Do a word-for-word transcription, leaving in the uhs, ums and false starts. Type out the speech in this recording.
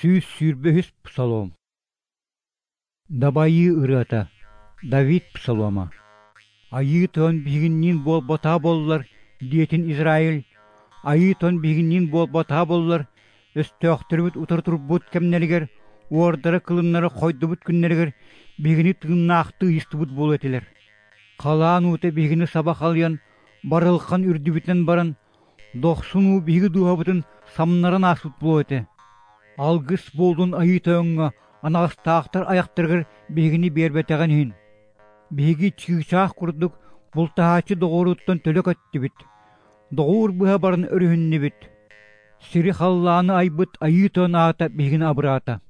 Сүүс сүүрбэ үһүс псалом. Дабайыы ырыата. Давид псалома. Айыы Тойон биһигинниин буолбатаҕа буоллар, диэтин Израиль, Айыы Тойон биһигинниин буолбатаҕа буоллар, өстөөхтөрбүт утары турбут кэмнэригэр, уордара-кылыннара хойдубут күннэригэр биһигини тыыннаахтыы ыйыстыбыт буолуо этилэр. Халаан уута биһигини саба халыйан, барылхан үрдүбүтүнэн баран, дохсун уу биһиги дууһабытын самнаран ааспыт буолуо этэ. Алгыс буоллун Айыы Тойоҥҥо анаҕастаахтар айахтарыгар биһигини биэрбэтэҕин иһин. Биһиги чыычаах курдук бултаһааччы доҕоруттан төлө көттүбүт, доҕуур быһа баран өрүһүннүбүт. Сири-халлааны айбыт Айыы Тойон аата биһигини абыраата.